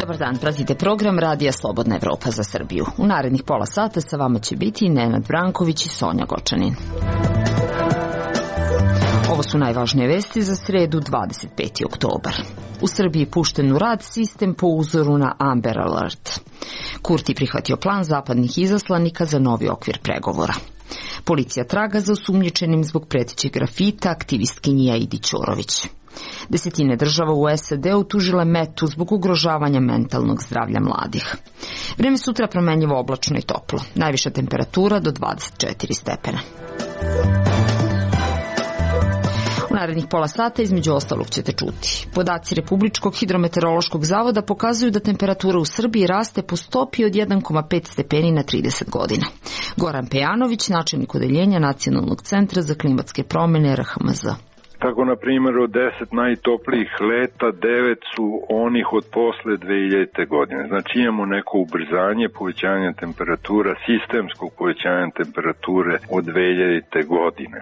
Dobar dan, pratite program Radija Slobodna Evropa za Srbiju. U narednih pola sata sa vama će biti Nenad Branković i Sonja Gočanin. Ovo su najvažnije vesti za sredu 25. oktobar. U Srbiji pušten u rad sistem po uzoru na Amber Alert. Kurti prihvatio plan zapadnih izaslanika za novi okvir pregovora. Policija traga za osumnjičenim zbog pretećeg grafita aktivistkinji Aidi Ćorović. Desetine država u SAD-u tužile Metu zbog ugrožavanja mentalnog zdravlja mladih. Vreme sutra promenljivo, oblačno i toplo. Najviša temperatura do 24 stepena. U narednih pola sata između ostalog ćete čuti. Podaci Republičkog hidrometeorološkog zavoda pokazuju da temperatura u Srbiji raste po stopi od 1,5 stepeni na 30 godina. Goran Pejanović, načelnik odeljenja Nacionalnog centra za klimatske promjene RHMZ. Tako, na primjer, od 10 najtoplijih leta, 9 su onih od posle 2000. godine. Znači imamo neko ubrzanje povećanja temperatura, sistemskog povećanja temperature od 2000. godine.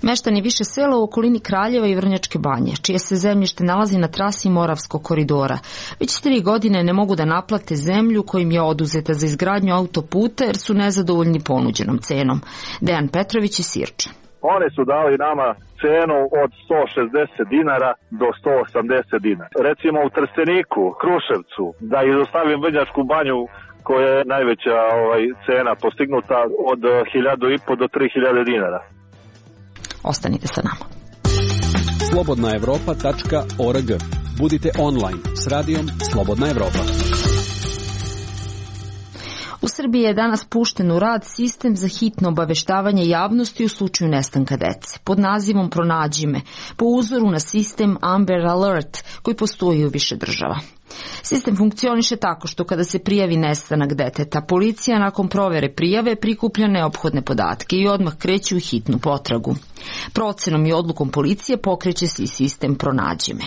Meštani više sela u okolini Kraljeva i Vrnjačke Banje, čije se zemljište nalazi na trasi Moravskog koridora, već 3 godine ne mogu da naplate zemlju kojim je oduzeta za izgradnju autoputa jer su nezadovoljni ponuđenom cenom. Dejan Petrović iz Sirče. Oni su dali nama cenu od 160 dinara do 180 dinara. Recimo u Trsteniku, Kruševcu, da izostavim Vrnjačku Banju, koja je najveća cena postignuta od 1.500 do 3.000 dinara. Ostanite sa nama. slobodnaevropa.org. Budite online s radijom Slobodna Evropa. U Srbiji je danas pušten u rad sistem za hitno obaveštavanje javnosti u slučaju nestanka dece, pod nazivom Pronađi me, po uzoru na sistem Amber Alert koji postoji u više država. Sistem funkcioniše tako što kada se prijavi nestanak deteta, policija nakon provere prijave prikuplja neophodne podatke i odmah kreće u hitnu potragu. Procenom i odlukom policije pokreće se i sistem Pronađi me.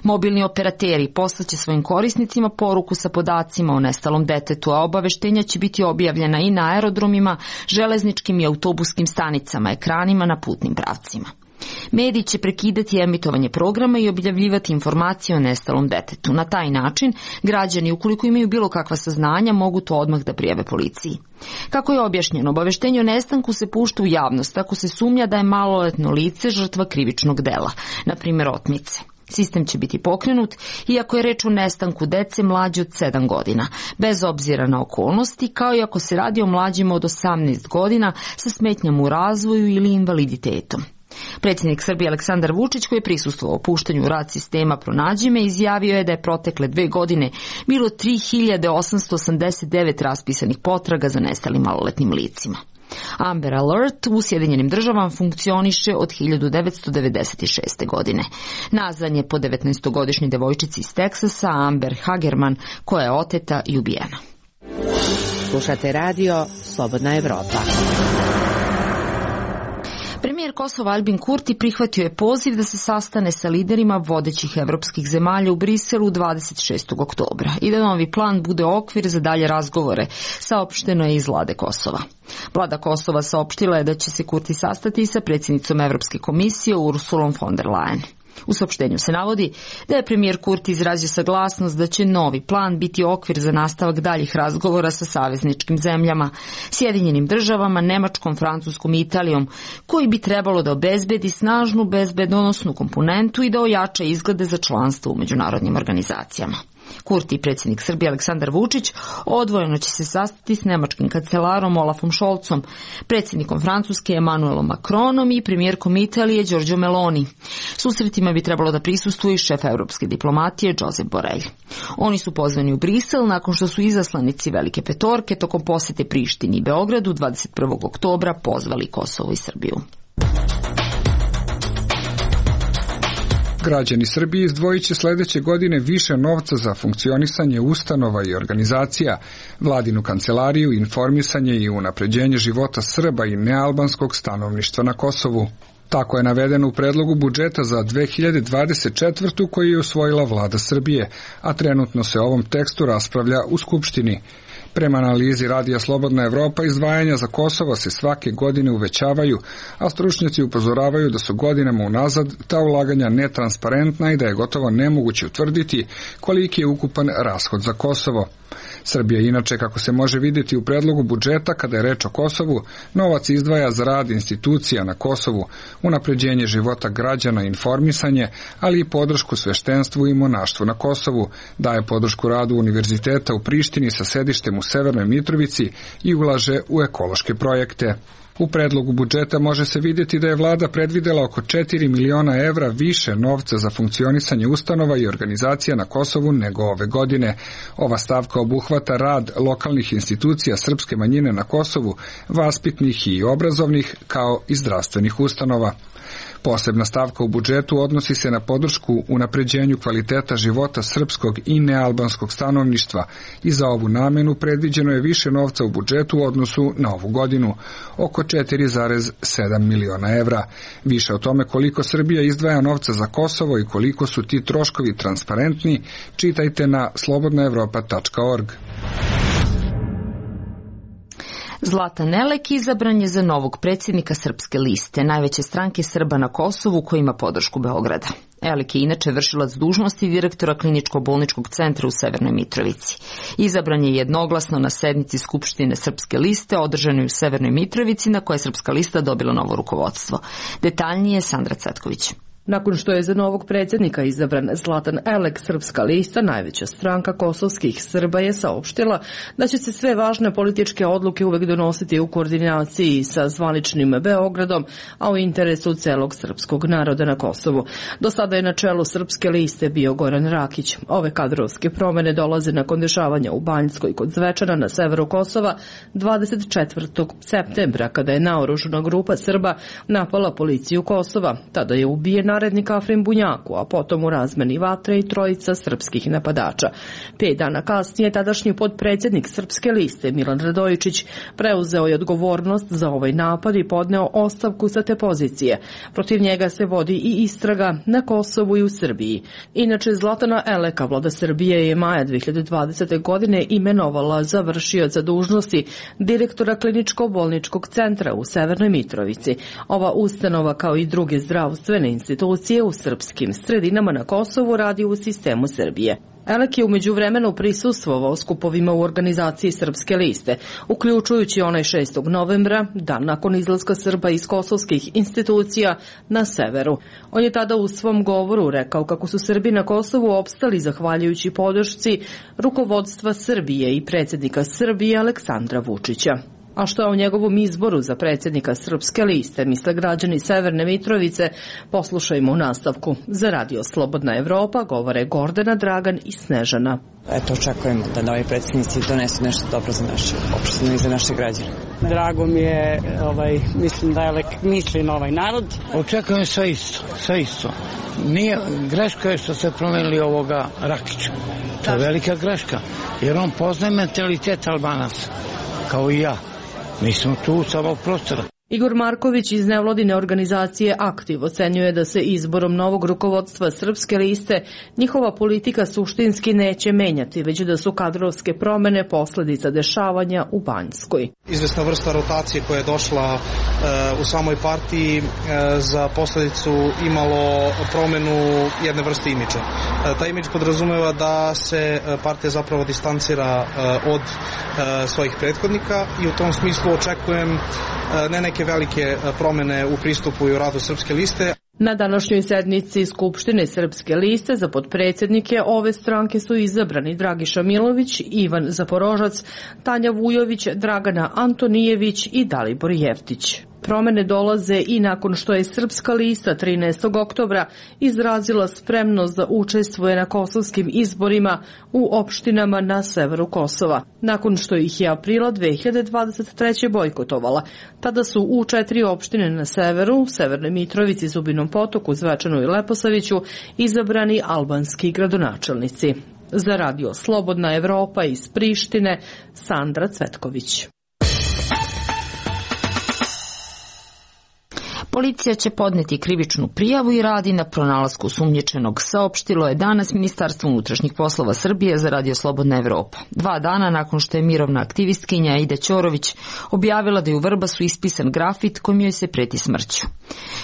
Mobilni operateri poslaće svojim korisnicima poruku sa podacima o nestalom detetu, a obaveštenja će biti objavljena i na aerodromima, železničkim i autobuskim stanicama, ekranima na putnim pravcima. Mediji će prekidati emitovanje programa i objavljivati informacije o nestalom detetu. Na taj način, građani, ukoliko imaju bilo kakva saznanja, mogu to odmah da prijave policiji. Kako je objašnjeno, obaveštenje o nestanku se pušta u javnost ako se sumnja da je maloletno lice žrtva krivičnog dela, na primjer otmice. Sistem će biti pokrenut iako je reč o nestanku dece mlađe od 7 godina, bez obzira na okolnosti, kao i ako se radi o mlađima od 18 godina sa smetnjama u razvoju ili invaliditetom. Predsjednik Srbije Aleksandar Vučić, koji je prisustvovao puštanju u rad sistema Pronađi me, izjavio je da je protekle 2 godine bilo 3.889 raspisanih potraga za nestalim maloletnim licima. Amber Alert u Sjedinjenim državama funkcioniše od 1996. godine. Nazvan je po 19-godišnjoj devojčici iz Teksasa, Amber Hagerman, koja je oteta i ubijena. Slušate radio Slobodna Evropa. Premijer Kosova Aljbin Kurti prihvatio je poziv da se sastane sa liderima vodećih evropskih zemalja u Briselu 26. oktobra i da novi plan bude okvir za dalje razgovore, saopšteno je iz vlade Kosova. Vlada Kosova saopštila je da će se Kurti sastati sa predsjednicom Evropske komisije Ursulom von der Leyen. U saopštenju se navodi da je premijer Kurti izrazio saglasnost da će novi plan biti okvir za nastavak daljih razgovora sa savezničkim zemljama, Sjedinjenim državama, Nemačkom, Francuskom i Italijom, koji bi trebalo da obezbedi snažnu bezbedonosnu komponentu i da ojača izglede za članstvo u međunarodnim organizacijama. Kurti i predsjednik Srbije Aleksandar Vučić odvojeno će se sastati s nemačkim kancelarom Olafom Scholzom, predsjednikom Francuske Emmanuelom Macronom i premijerkom Italije Giorgio Meloni. Susretima bi trebalo da prisustvuje šef evropske diplomatije Josep Borrell. Oni su pozvani u Brisel nakon što su izaslanici Velike petorke tokom posete Prištini i Beogradu 21. oktobra pozvali Kosovo i Srbiju. Građani Srbije izdvojit će sledeće godine više novca za funkcionisanje ustanova i organizacija, vladinu kancelariju, informisanje i unapređenje života Srba i nealbanskog stanovništva na Kosovu. Tako je navedeno u predlogu budžeta za 2024. koji je usvojila vlada Srbije, a trenutno se o ovom tekstu raspravlja u Skupštini. Prema analizi Radija Slobodna Evropa, izdvajanja za Kosovo se svake godine uvećavaju, a stručnjaci upozoravaju da su godinama unazad ta ulaganja netransparentna i da je gotovo nemoguće utvrditi koliki je ukupan rashod za Kosovo. Srbija inače, kako se može vidjeti u predlogu budžeta kada je reč o Kosovu, novac izdvaja za rad institucija na Kosovu, unapređenje života građana i informisanje, ali i podršku sveštenstvu i monaštvu na Kosovu, daje podršku radu univerziteta u Prištini sa sedištem u Severnoj Mitrovici i ulaže u ekološke projekte. U predlogu budžeta može se vidjeti da je vlada predvidela oko 4 miliona evra više novca za funkcionisanje ustanova i organizacija na Kosovu nego ove godine. Ova stavka obuhvata rad lokalnih institucija srpske manjine na Kosovu, vaspitnih i obrazovnih, kao i zdravstvenih ustanova. Posebna stavka u budžetu odnosi se na podršku unapređenju kvaliteta života srpskog i nealbanskog stanovništva i za ovu namenu predviđeno je više novca u budžetu u odnosu na ovu godinu, oko 4,7 miliona evra. Više o tome koliko Srbija izdvaja novca za Kosovo i koliko su ti troškovi transparentni, čitajte na slobodnaevropa.org. Zlatan Elek izabran je za novog predsjednika Srpske liste, najveće stranke Srba na Kosovu koja ima podršku Beograda. Elek je inače vršilac dužnosti direktora kliničko-bolničkog centra u Severnoj Mitrovici. Izabran je jednoglasno na sednici Skupštine Srpske liste održanoj u Severnoj Mitrovici, na kojoj je Srpska lista dobila novo rukovodstvo. Detaljnije Sandra Cvetković. Nakon što je za novog predsjednika izabran Zlatan Elek, Srpska lista, najveća stranka kosovskih Srba, je saopštila da će se sve važne političke odluke uvek donositi u koordinaciji sa zvaničnim Beogradom, a u interesu celog srpskog naroda na Kosovu. Do sada je na čelu Srpske liste bio Goran Rakić. Ove kadrovske promene dolaze nakon dešavanja u Banjskoj kod Zvečana na severu Kosova 24. septembra, kada je naoružana grupa Srba napala policiju Kosova. Tada je ubijen narednik Afrim Bunjaku, a potom u razmeni vatre i trojica srpskih napadača. 5 dana kasnije tadašnji potpredsjednik Srpske liste Milan Radojičić preuzeo je odgovornost za ovaj napad i podneo ostavku sa te pozicije. Protiv njega se vodi i istraga na Kosovu i u Srbiji. Inače, Zlatana Eleka vlada Srbije je maja 2020. godine imenovala za vršioca dužnosti direktora kliničko-bolničkog centra u Severnoj Mitrovici. Ova ustanova, kao i druge zdravstvene institucije u srpskim sredinama na Kosovu, radi u sistemu Srbije. Elek je u međuvremenu prisustvovao skupovima u organizaciji Srpske liste, uključujući onaj 6. novembra, dan nakon izlaska Srba iz kosovskih institucija na severu. On je tada u svom govoru rekao kako su Srbi na Kosovu opstali zahvaljujući podršci rukovodstva Srbije i predsjednika Srbije Aleksandra Vučića. A što je o njegovom izboru za predsjednika Srpske liste misle građani Severne Mitrovice, poslušajmo u nastavku. Za Radio Slobodna Evropa govore Gordana, Dragan i Snežana. Eto, očekujemo da novi predsjednici donesu nešto dobro za naše opštine i za naše građane. Drago mi je, mislim da je misli na ovaj narod. Očekujem sve isto. Nije greška je što se promenili ovoga Rakića. To je velika greška, jer on poznaje mentalitet Albanaca, kao i ja. Mi smo tu sa ovog prostora. Igor Marković iz nevladine organizacije Aktiv ocenjuje da se izborom novog rukovodstva Srpske liste njihova politika suštinski neće menjati, već da su kadrovske promene posljedica dešavanja u Banjskoj. Izvesna vrsta rotacije koja je došla u samoj partiji za posljedicu imalo promenu jedne vrste imidža. Taj imidž podrazumeva da se partija zapravo distancira od svojih prethodnika i u tom smislu očekujem ne neke velike promene u pristupu i u radu Srpske liste. Na današnjoj sednici Skupštine Srpske liste za potpredsjednike ove stranke su izabrani Dragiša Milović, Ivan Zaporožac, Tanja Vujović, Dragana Antonijević i Dalibor Jeftić. Promene dolaze i nakon što je Srpska lista 13. oktobra izrazila spremnost da učestvuje na kosovskim izborima u opštinama na severu Kosova. Nakon što ih je aprila 2023. bojkotovala, tada su u 4 opštine na severu, Severnoj Mitrovici, Zubinom Potoku, Zvečanu i Leposaviću, izabrani albanski gradonačelnici. Za Radio Slobodna Evropa iz Prištine, Sandra Cvetković. Policija će podneti krivičnu prijavu i radi na pronalasku osumnjičenog, saopštilo je danas Ministarstvo unutrašnjih poslova Srbije za Radio Slobodna Evropa. 2 dana nakon što je mirovna aktivistkinja Aida Ćorović objavila da je u Vrbasu ispisan grafit kojim joj se preti smrću.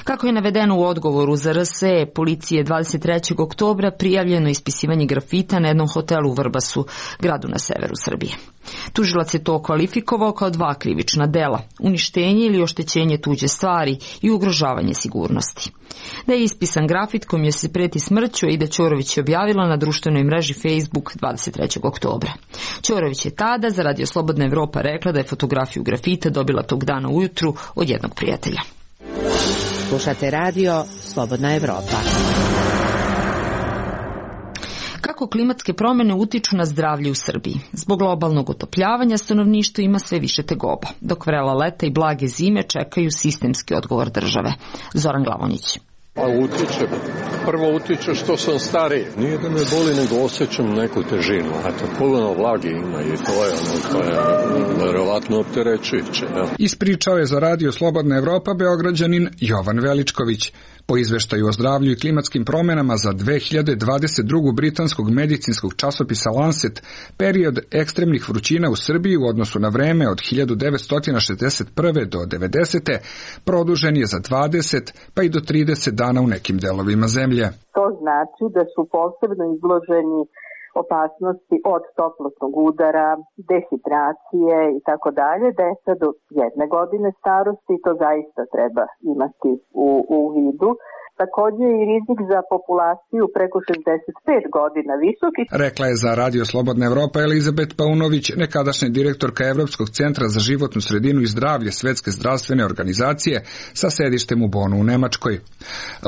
Kako je navedeno u odgovoru za RSE policije 23. oktobra prijavljeno ispisivanje grafita na jednom hotelu u Vrbasu, gradu na severu Srbije. Tužilac je to kvalifikovao kao 2 krivična dela, uništenje ili oštećenje tuđe stvari i ugrožavanje sigurnosti. Da je ispisan grafit kojim joj se preti smrću, Aida Ćorović je objavila na društvenoj mreži Facebook 23. oktobra. Ćorović je tada za Radio Slobodna Evropa rekla da je fotografiju grafita dobila tog dana ujutru od jednog prijatelja. Slušate radio Slobodna Evropa. Kako klimatske promjene utiču na zdravlje u Srbiji? Zbog globalnog otopljavanja stanovništvo ima sve više tegoba, dok vrela leta i blage zime čekaju sistemski odgovor države. Zoran Glavonjić. Pa utiče. Prvo utiče što sam stariji. Nije da me boli, nego osjećam neku težinu. Eto, puno vlage ima i to je verovatno opterećujuće. Ispričao je za Radio Slobodna Evropa Beograđanin Jovan Veličković. Po izveštaju o zdravlju i klimatskim promjenama za 2022. britanskog medicinskog časopisa Lancet, period ekstremnih vrućina u Srbiji u odnosu na vreme od 1961. do 90. produžen je za 20 pa i do 30 dana u nekim delovima zemlje. To znači da su posebno izloženi opasnosti od toplotnog udara, dehidracije i tako dalje, deca do 1 godine starosti, to zaista treba imati u vidu. Također i rizik za populaciju preko 65 godina visoki. Rekla je za Radio Slobodna Evropa Elizabet Paunović, nekadašnja direktorka Evropskog centra za životnu sredinu i zdravlje Svetske zdravstvene organizacije sa sedištem u Bonu u Nemačkoj.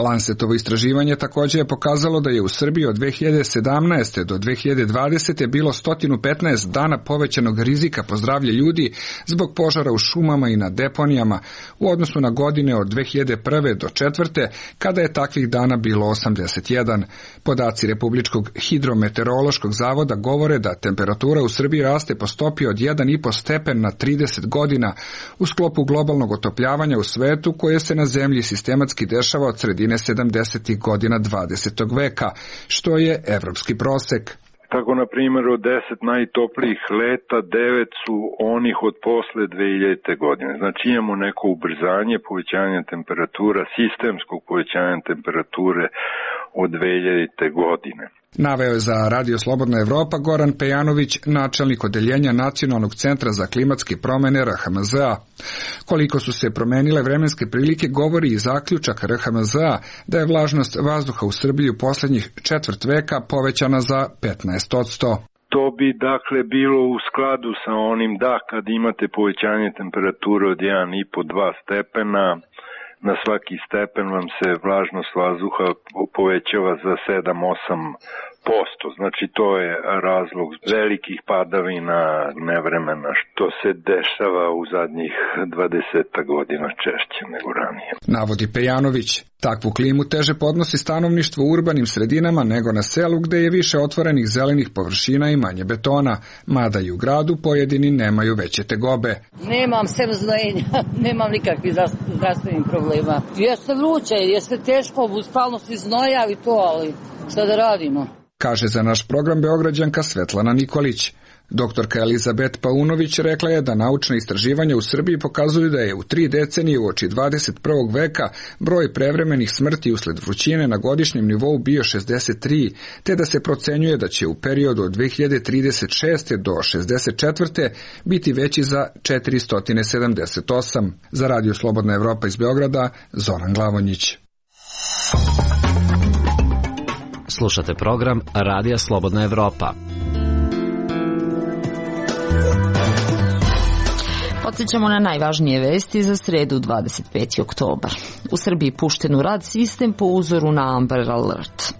Lancetovo istraživanje također je pokazalo da je u Srbiji od 2017. do 2020. bilo 115 dana povećanog rizika po zdravlje ljudi zbog požara u šumama i na deponijama u odnosu na godine od 2001. do 2004. kada je takvih dana bilo 81. Podaci Republičkog hidrometeorološkog zavoda govore da temperatura u Srbiji raste po stopi od 1,5 stepen na 30 godina u sklopu globalnog otopljavanja u svetu koje se na zemlji sistematski dešava od sredine 70. godina 20. veka, što je evropski prosek. Tako, na primjer, od 10 najtoplijih leta, 9 su onih od posle 2000. godine. Znači imamo neko ubrzanje povećanja temperatura, sistemskog povećanja temperature od 2000. godine. Naveo je za Radio Slobodna Evropa Goran Pejanović, načelnik odeljenja Nacionalnog centra za klimatske promjene RHMZ-a. Koliko su se promenile vremenske prilike govori i zaključak RHMZ-a da je vlažnost vazduha u Srbiji u posljednjih 1/4 veka povećana za 15%. To bi dakle bilo u skladu sa onim da kad imate povećanje temperature od 1,5-2 stepena, na svaki stepen vam se vlažnost vazduha povećava za 7-8%. Znači to je razlog velikih padavina nevremena što se dešava u zadnjih 20 godina češće nego ranije. Navodi Pejanović. Takvu klimu teže podnosi stanovništvo u urbanim sredinama nego na selu gde je više otvorenih zelenih površina i manje betona, mada i u gradu pojedini nemaju veće tegobe. Nemam semznojenja, nemam nikakvih zdravstvenih problema. Jeste vruće, jeste teško, stalno se znoja i to, ali šta da radimo? Kaže za naš program Beograđanka Svetlana Nikolić. Doktorka Elizabet Paunović rekla je da naučna istraživanja u Srbiji pokazuju da je u 3 decenije uoči 21. veka broj prevremenih smrti usled vrućine na godišnjem nivou bio 63, te da se procenjuje da će u periodu od 2036. do 64. biti veći za 478. Za Radio Slobodna Evropa iz Beograda, Zoran Glavonjić. Slušate program Radija Slobodna Evropa. Podsjećamo na najvažnije vesti za sredu 25. oktobar. U Srbiji pušten u rad sistem po uzoru na Amber Alert.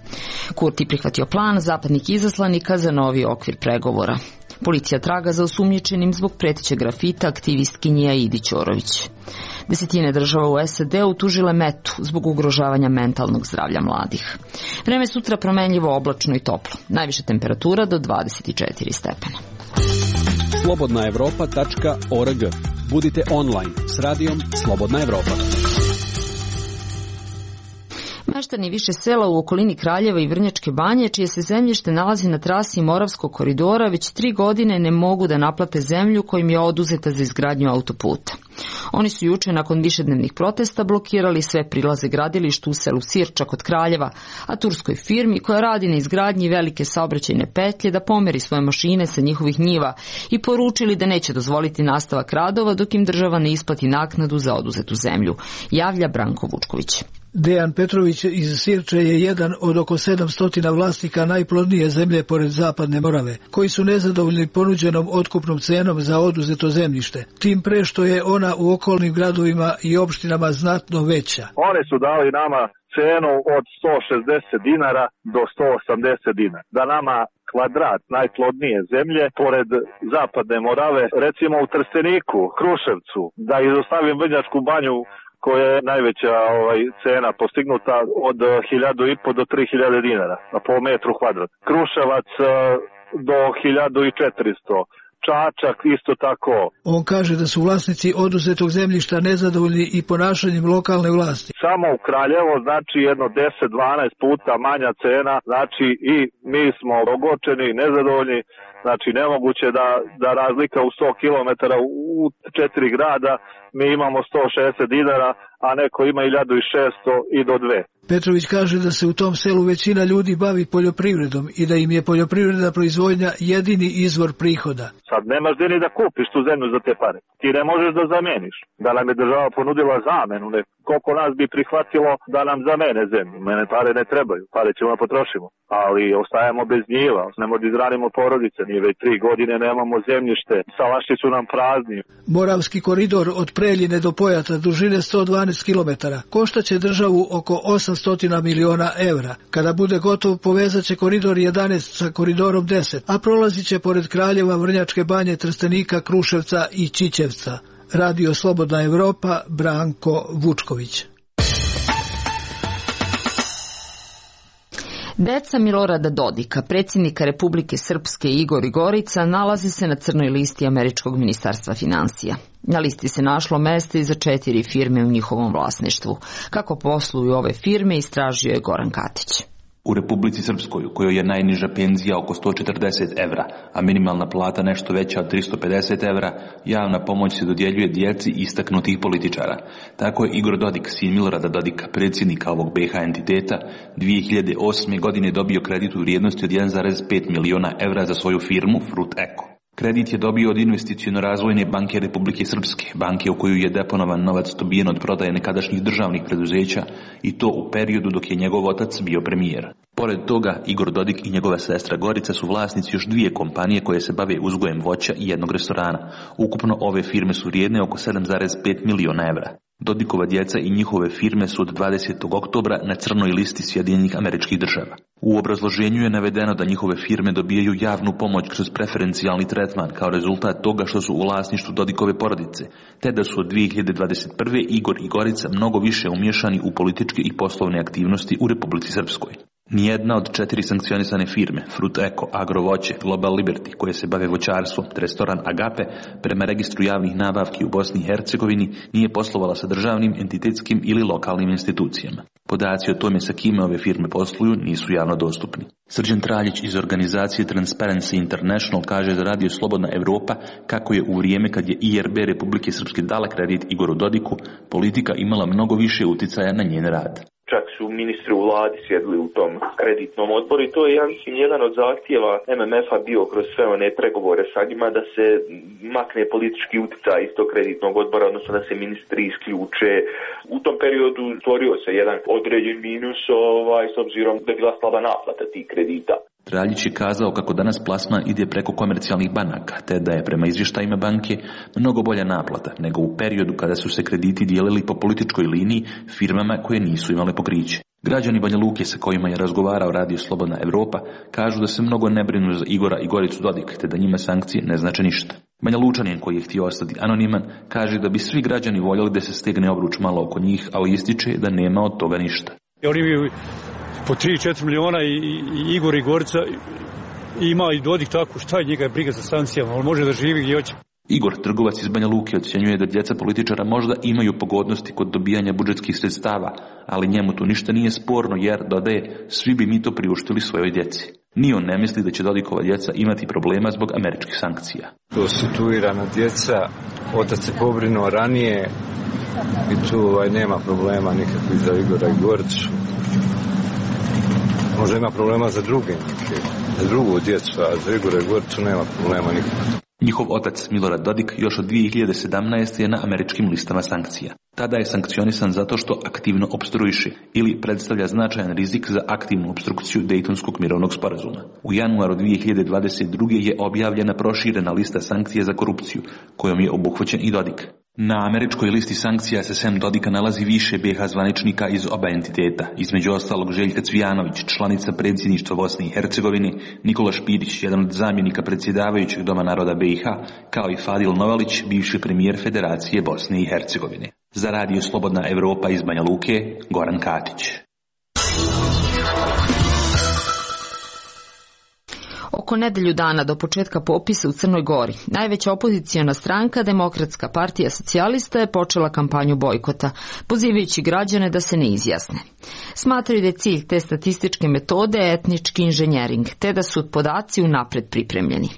Kurti prihvatio plan zapadnih izaslanika za novi okvir pregovora. Policija traga za osumnjičenim zbog pretećeg grafita aktivistkinje Aidi Ćorović. Desetine država u SAD-u tužile Metu zbog ugrožavanja mentalnog zdravlja mladih. Vreme sutra promenljivo, oblačno i toplo. Najviša temperatura do 24 stepena. slobodnaevropa.org. Budite online s radijom Slobodna Evropa. Meštani više sela u okolini Kraljeva i Vrnjačke Banje, čije se zemljište nalazi na trasi Moravskog koridora, već 3 godine ne mogu da naplate zemlju kojim je oduzeta za izgradnju autoputa. Oni su juče nakon višednevnih protesta blokirali sve prilaze gradilištu u selu Sirča kod Kraljeva, a turskoj firmi koja radi na izgradnji velike saobraćajne petlje da pomeri svoje mašine sa njihovih njiva i poručili da neće dozvoliti nastavak radova dok im država ne isplati naknadu za oduzetu zemlju, javlja Branko Vučković. Dejan Petrović iz Sirče je jedan od oko 700 vlasnika najplodnije zemlje pored Zapadne Morave, koji su nezadovoljni ponuđenom otkupnom cenom za oduzeto zemljište, tim pre što je ona u okolnim gradovima i opštinama znatno veća. Oni su dali nama cenu od 160 dinara do 180 dinara. Da nama kvadrat najplodnije zemlje pored Zapadne Morave, recimo u Trsteniku, Kruševcu, da izostavim Vrnjačku Banju, koja je najveća cena postignuta od 1.500 do 3.000 dinara po metru kvadrat. Kruševac do 1.400. Čačak isto tako. On kaže da su vlasnici oduzetog zemljišta nezadovoljni i ponašanjem lokalne vlasti. Samo u Kraljevo znači jedno 10-12 puta manja cena, znači i mi smo ogorčeni i nezadovoljni, znači nemoguće da razlika u 100 km u 4 grada mi imamo 160 dinara, a neko ima 1.600 i do 2. Petrović kaže da se u tom selu većina ljudi bavi poljoprivredom i da im je poljoprivredna proizvodnja jedini izvor prihoda. Sad nemaš gdje ni da kupiš tu zemlju za te pare. Ti ne možeš da zameniš. Da nam je država ponudila zamenu, koliko nas bi prihvatilo da nam zamene zemlju. Mene pare ne trebaju, pare ćemo da potrošimo. Ali ostajemo bez njiva, ne možemo da izranimo porodice, nije već 3 godine nemamo zemljište, salaši su nam prazni. Moravski koridor od Preljine do Pojata dužine 112 km koštaće državu oko 800 miliona evra. Kada bude gotov, povezat će koridor 11 sa koridorom 10, a prolazit će pored Kraljeva, Vrnjačke Banje, Trstenika, Kruševca i Ćićevca. Radio Slobodna Evropa, Branko Vučković. Deca Milorada Dodika, predsjednika Republike Srpske Igor Gorica, nalazi se na crnoj listi Američkog ministarstva finansija. Na listi se našlo mesta i za 4 firme u njihovom vlasništvu. Kako posluju ove firme, istražio je Goran Katić. U Republici Srpskoj, u kojoj je najniža penzija oko 140 evra, a minimalna plata nešto veća od 350 evra, javna pomoć se dodjeljuje djeci istaknutih političara. Tako je Igor Dodik, sin Milorada Dodika, predsjednika ovog BiH entiteta, 2008. godine dobio kredit u vrijednosti od 1,5 miliona evra za svoju firmu Fruit Eko. Kredit je dobio od Investiciono-razvojne banke Republike Srpske, banke u koju je deponovan novac dobijen od prodaje nekadašnjih državnih preduzeća i to u periodu dok je njegov otac bio premijer. Pored toga, Igor Dodik i njegova sestra Gorica su vlasnici još 2 kompanije koje se bave uzgojem voća i jednog restorana. Ukupno ove firme su vrijedne oko 7,5 miliona evra. Dodikova djeca i njihove firme su od 20. oktobra na crnoj listi Sjedinjenih Američkih Država. U obrazloženju je navedeno da njihove firme dobijaju javnu pomoć kroz preferencijalni tretman kao rezultat toga što su u vlasništvu Dodikove porodice, te da su od 2021. Igor i Gorica mnogo više umiješani u političke i poslovne aktivnosti u Republici Srpskoj. Nijedna od 4 sankcionisane firme, Fruit Eko, Agrovoće, Global Liberty, koje se bave voćarstvom, te restoran Agape, prema registru javnih nabavki u Bosni i Hercegovini, nije poslovala sa državnim, entitetskim ili lokalnim institucijama. Podaci o tome sa kime ove firme posluju nisu javno dostupni. Srđan Traljić iz organizacije Transparency International kaže za Radio Slobodna Evropa kako je u vrijeme kad je IRB Republike Srpske dala kredit Igoru Dodiku, politika imala mnogo više uticaja na njen rad. Čak su ministri u vladi sjedili u tom kreditnom odboru i to je, ja mislim, jedan od zahtjeva MMF-a bio kroz sve one pregovore sa njima da se makne politički utjecaj iz tog kreditnog odbora, odnosno da se ministri isključe. U tom periodu stvorio se jedan određen minus s obzirom da je bila slaba naplata tih kredita. Traljić je kazao kako danas plasman ide preko komercijalnih banaka, te da je prema izvještajima banke mnogo bolja naplata nego u periodu kada su se krediti dijelili po političkoj liniji firmama koje nisu imale pokriće. Građani Banja Luke sa kojima je razgovarao Radio Slobodna Evropa kažu da se mnogo ne brinu za Igora i Goricu Dodik, te da njima sankcije ne znače ništa. Banja Lučanin, koji je htio ostati anoniman, kaže da bi svi građani voljeli da se stegne obruč malo oko njih, ali ističe da nema od toga ništa. Oni bi po 3-4 miliona i Igor i Gorica ima i Dodik tako, šta je njega briga za sankcijama, on može da živi gdje hoće. Igor, trgovac iz Banja Luke, ocjenjuje da djeca političara možda imaju pogodnosti kod dobijanja budžetskih sredstava, ali njemu tu ništa nije sporno jer, dodaje, svi bi mi to priuštili svojoj djeci. Ni on ne misli da će Dodikova djeca imati problema zbog američkih sankcija. To situirana djeca, otac se pobrinuo ranije i tu nema problema nikakvih za Igora i Goricu. Možda ima problema za druge, za drugu djecu, a za Igora i Goricu nema problema nikakvih. Njihov otac Milorad Dodik još od 2017. je na američkim listama sankcija. Tada je sankcionisan zato što aktivno opstruiše ili predstavlja značajan rizik za aktivnu opstrukciju Dejtonskog mirovnog sporazuma. U januaru 2022. je objavljena proširena lista sankcija za korupciju, kojom je obuhvaćen i Dodik. Na američkoj listi sankcija se sem Dodika nalazi više BiH zvaničnika iz oba entiteta, između ostalog Željka Cvijanović, članica predsjedništva Bosne i Hercegovine, Nikola Špirić, jedan od zamjenika predsjedavajućeg Doma naroda BiH, kao i Fadil Novalić, bivši premijer Federacije Bosne i Hercegovine. Za Radio Slobodna Evropa iz Banja Luke, Goran Katić. Oko nedelju dana do početka popisa u Crnoj Gori, najveća opoziciona stranka, Demokratska partija socijalista, je počela kampanju bojkota, pozivajući građane da se ne izjasne. Smatraju da je cilj te statističke metode etnički inženjering, te da su podaci unapred pripremljeni.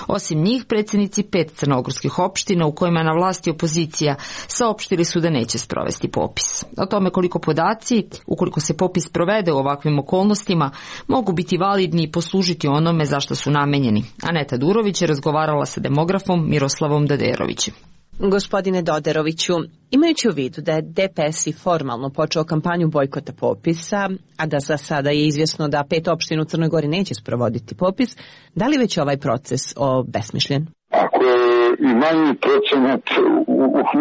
Osim njih, predsjednici 5 crnogorskih opština u kojima je na vlasti opozicija saopštili su da neće sprovesti popis. O tome koliko podaci, ukoliko se popis provede u ovakvim okolnostima, mogu biti validni i poslužiti onome zašto su namenjeni. Aneta Durović je razgovarala sa demografom Miroslavom Daderovićem. Gospodine Doderoviću, imajući u vidu da je DPS i formalno počeo kampanju bojkota popisa, a da za sada je izvjesno da 5 opština u Crnoj Gori neće sprovoditi popis, da li već ovaj proces obesmišljen? Ako je i manji procenat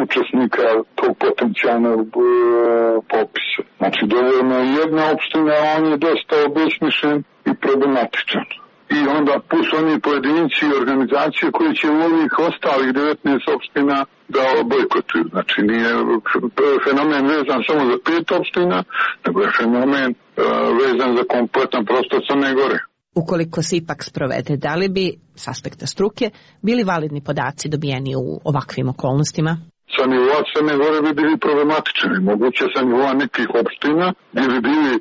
učesnika tog potencijalnog popisa, znači dovoljno je jedna opština, on je dosta obesmišljen i problematičan. I onda plus oni pojedinci i organizacije koji će u ovih ostalih 19 opština da bojkotuju. Znači nije fenomen vezan samo za 5 opština, nego je fenomen vezan za kompletan prostor Crne Gore. Ukoliko se ipak sprovede, da li bi, s aspekta struke, bili validni podaci dobijeni u ovakvim okolnostima? Sa nivoa Crne Gore bi bili problematični. Moguće sa nivoa nekih opština gdje bi bili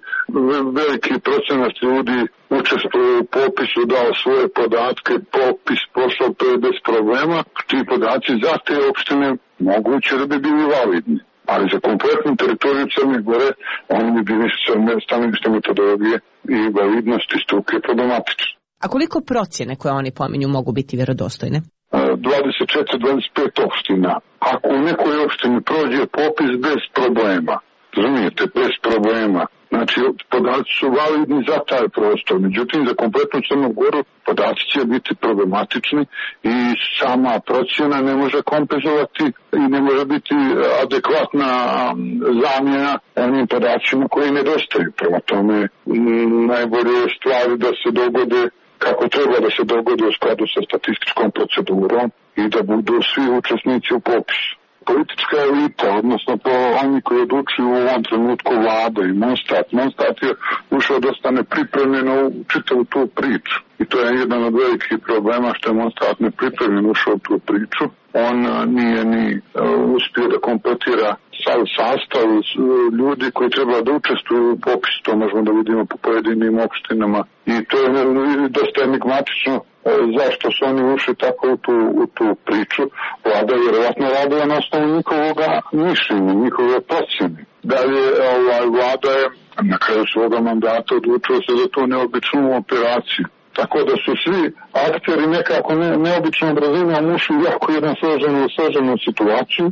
veliki procenat ljudi učestvuju u popisu, dao svoje podatke, popis prošao bez problema. Ti podaci za te opštine moguće da bi bili validni. Ali za kompletnu teritoriju Crne Gore oni bi bili stanovište metodologije i validnosti struke problematični. A koliko procjene koje oni pominju mogu biti vjerodostojne? 24-25 opština. Ako u nekoj opštini prođe popis bez problema, razumijete, bez problema, znači podaci su validni za taj prostor, međutim za kompletnu Crnu Goru podaci će biti problematični i sama procjena ne može kompenzovati i ne može biti adekvatna zamjena onim podacima koji nedostaju. Prema tome najbolje je stvari da se dogode kako treba da se dogodi u skladu sa statističkom procedurom i da budu svi učesnici u popisu. Politička elita, odnosno oni koji odlučuju u ovom trenutku vlada i Monstat je ušao dosta nepripremljeno u čitavu tu priču. I to je jedan od velikih problema što je Monstat nepripremljeno ušao u tu priču. On nije ni uspio da kompletira sastav ljudi koji treba da učestvuju u popisu, to možemo da vidimo po pojedinim opštinama. I to je dosta enigmatično zašto su oni ušli tako u tu priču. Vlada je vjerovatno radila na osnovu njihovog mišljenja, njihove procjene. Dalje, vlada je na kraju svoga mandata odlučila se za tu neobičnu operaciju. Tako da su svi akteri nekako neobičnom brzinom ušli u jako jednu složenu situaciju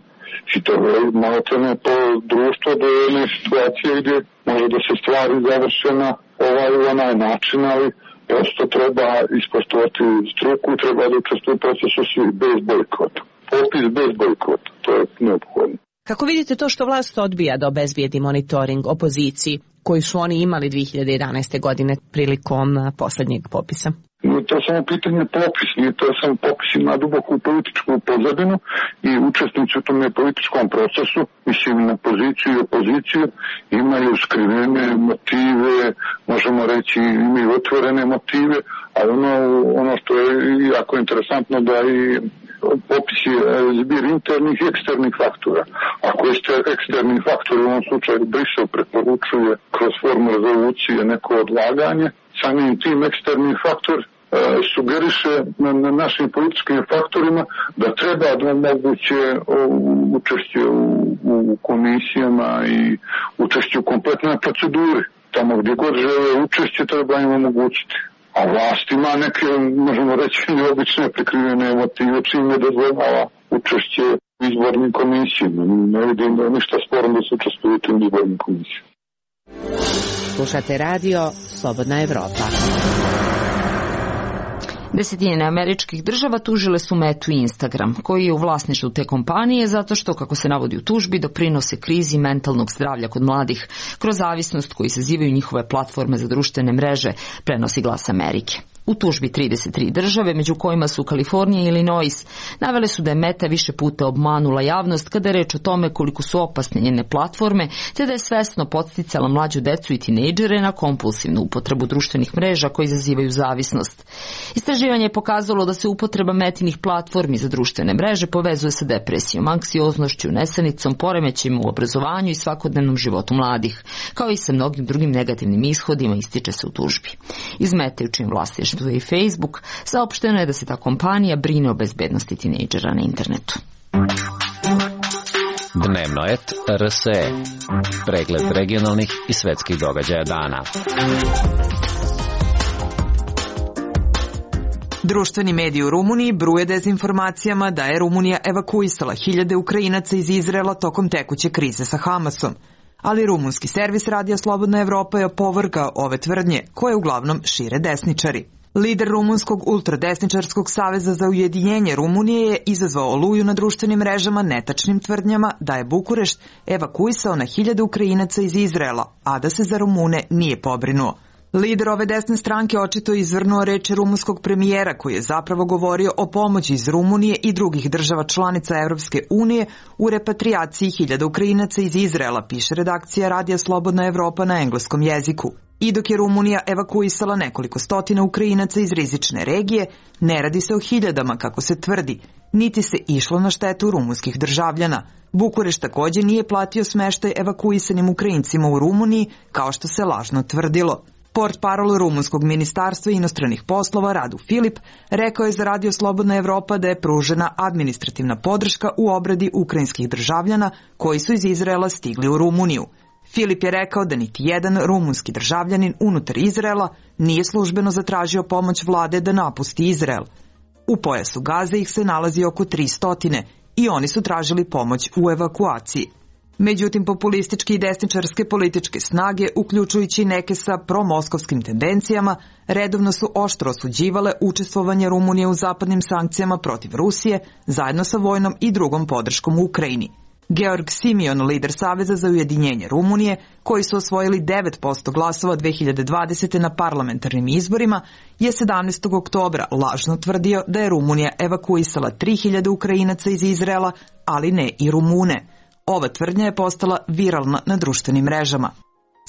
i to je malotene po društvo do jedne situacije gdje može da se stvari završe na onaj način, ali prosto treba ispoštovati struku, treba da učestvuju u procesu svi bez bojkota. Popis bez bojkota, to je neophodno. Kako vidite to što vlast odbija da obezbijedi monitoring opoziciji koji su oni imali 2011. godine prilikom posljednjeg popisa? To je samo pitanje popis, to je samo popis ima duboku političku pozadinu i učesnici u tom političkom procesu, mislim na poziciju i opoziciju, imaju skrivene motive, možemo reći imaju otvorene motive, ali ono što je jako interesantno da i popis je zbir internih i eksternih faktora. Ako je eksterni faktor u ovom slučaju Brisel preporučuje kroz formu rezolucije neko odlaganje, samim tim eksterni faktor sugeriše na našim političkim faktorima da treba da omoguće učešće u komisijama i učešće u kompletnoj proceduri. Tamo gdje god žele učešće treba im omogućiti. A vlast ima neke, možemo reći, neobične prikrivene motive čim ne dozvoljava učešće u izbornim komisijama. Ne vidim da je ništa sporno da se učestvuje u tim izbornim komisijama. Slušate radio Slobodna Evropa. Desetine američkih država tužile su Metu i Instagram, koji je u vlasništvu te kompanije zato što, kako se navodi u tužbi, doprinose krizi mentalnog zdravlja kod mladih kroz zavisnost koju izazivaju njihove platforme za društvene mreže, prenosi Glas Amerike. U tužbi 33 države, među kojima su Kalifornija i Illinois, navele su da je Meta više puta obmanula javnost kada je reč o tome koliko su opasne njene platforme, te da je svesno podsticala mlađu decu i tinejdžere na kompulsivnu upotrebu društvenih mreža koji izazivaju zavisnost. Istraživanje je pokazalo da se upotreba Metinih platformi za društvene mreže povezuje sa depresijom, anksioznošću, nesanicom, poremećajima u obrazovanju i svakodnevnom životu mladih, kao i sa mnogim drugim negativnim ishodima, ističe se u tužbi. Iz Mete, u čijim vlasništvu i Facebook, saopšteno je da se ta kompanija brine o bezbednosti tinejdžera na internetu. Dnevnoet RSE. Pregled regionalnih i svetskih događaja dana. Društveni mediji u Rumuniji bruje dezinformacijama da je Rumunija evakuisala hiljade Ukrajinaca iz Izraela tokom tekuće krize sa Hamasom. Ali rumunski servis Radija Slobodna Evropa je opovrgao ove tvrdnje, koje uglavnom šire desničari. Lider rumunskog ultradesničarskog saveza za ujedinjenje Rumunije je izazvao oluju na društvenim mrežama netačnim tvrdnjama da je Bukurešt evakuisao na hiljade Ukrajinaca iz Izraela, a da se za Rumune nije pobrinuo. Lider ove desne stranke očito je izvrnuo reči rumunskog premijera koji je zapravo govorio o pomoći iz Rumunije i drugih država članica Evropske unije u repatriaciji hiljada Ukrajinaca iz Izraela, piše redakcija Radija Slobodna Evropa na engleskom jeziku. I dok je Rumunija evakuisala nekoliko stotina Ukrajinaca iz rizične regije, ne radi se o hiljadama kako se tvrdi, niti se išlo na štetu rumunskih državljana. Bukurešt takođe nije platio smeštaj evakuisanim Ukrajincima u Rumuniji, kao što se lažno tvrdilo. Portparol rumunskog ministarstva inostranih poslova Radu Filip rekao je za Radio Slobodna Evropa da je pružena administrativna podrška u obradi ukrajinskih državljana koji su iz Izraela stigli u Rumuniju. Filip je rekao da niti jedan rumunski državljanin unutar Izraela nije službeno zatražio pomoć vlade da napusti Izrael. U pojasu Gaze ih se nalazi oko 300 i oni su tražili pomoć u evakuaciji. Međutim, populističke i desničarske političke snage, uključujući neke sa promoskovskim tendencijama, redovno su oštro osuđivale učestvovanje Rumunije u zapadnim sankcijama protiv Rusije, zajedno sa vojnom i drugom podrškom u Ukrajini. Georg Simion, lider Saveza za ujedinjenje Rumunije, koji su osvojili 9% glasova 2020. na parlamentarnim izborima, je 17. oktobra lažno tvrdio da je Rumunija evakuisala 3000 Ukrajinaca iz Izraela, ali ne i Rumune. Ova tvrdnja je postala viralna na društvenim mrežama.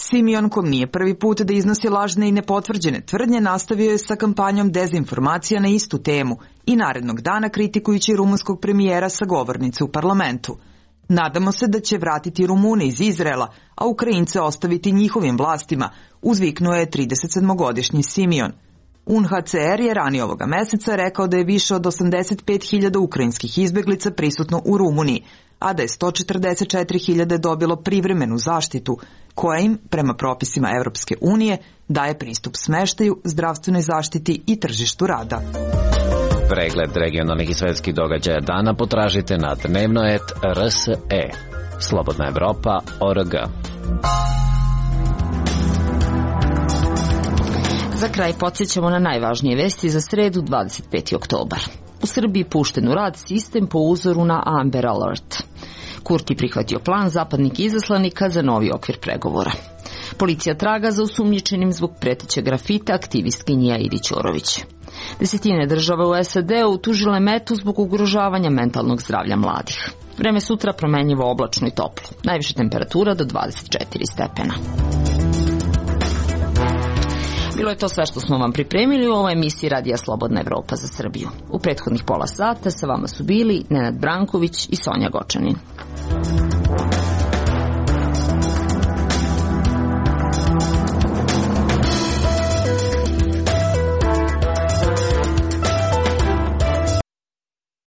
Simion, kom nije prvi put da iznosi lažne i nepotvrđene tvrdnje, nastavio je sa kampanjom dezinformacija na istu temu i narednog dana kritikujući rumunskog premijera sa govornice u parlamentu. Nadamo se da će vratiti Rumune iz Izraela, a Ukrajince ostaviti njihovim vlastima, uzviknuo je 37-godišnji Simion. UNHCR je ranije ovoga meseca rekao da je više od 85.000 ukrajinskih izbeglica prisutno u Rumuniji, a da je 144.000 dobilo privremenu zaštitu, koja im, prema propisima Evropske unije, daje pristup smeštaju, zdravstvenoj zaštiti i tržištu rada. Pregled regionalnih i svetskih događaja dana potražite na Dnevnoet RSE. Slobodna Evropa.org. Za kraj podsjećamo na najvažnije vesti za sredu 25. oktobar. U Srbiji pušten u rad sistem po uzoru na Amber Alert. Kurti prihvatio plan zapadnih izaslanika za novi okvir pregovora. Policija traga za osumnjičenim zbog pretećeg grafita aktivistkinje Aidi Ćorović. Desetine država u SAD-u tužile Metu zbog ugrožavanja mentalnog zdravlja mladih. Vreme sutra promenljivo, oblačno i toplo. Najviša temperatura do 24 stepena. Bilo je to sve što smo vam pripremili u ovoj emisiji Radija Slobodna Evropa za Srbiju. U prethodnih pola sata sa vama su bili Nenad Branković i Sonja Gočanin.